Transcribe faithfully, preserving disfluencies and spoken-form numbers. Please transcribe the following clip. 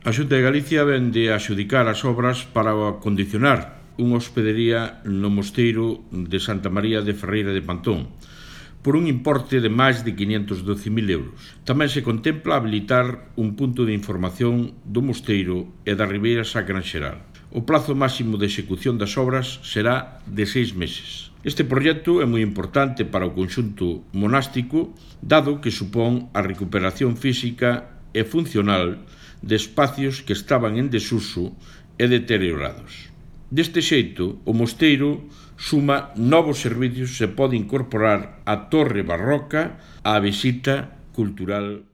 A Xunta de Galicia vende a adxudicar as obras para acondicionar unha hospedería no mosteiro de Santa María de Ferreira de Pantón, por un importe de máis de quinhentos doce mil euros. Tamén se contempla habilitar un punto de información do mosteiro e da Ribeira Sacra en xeral. O plazo máximo de execución das obras será de seis meses. Este proxecto é moi importante para o conxunto monástico, dado que supón a recuperación física e funcional de espacios que estaban en desuso e deteriorados. Deste xeito, o mosteiro suma novos servicios e pode incorporar a torre barroca á visita cultural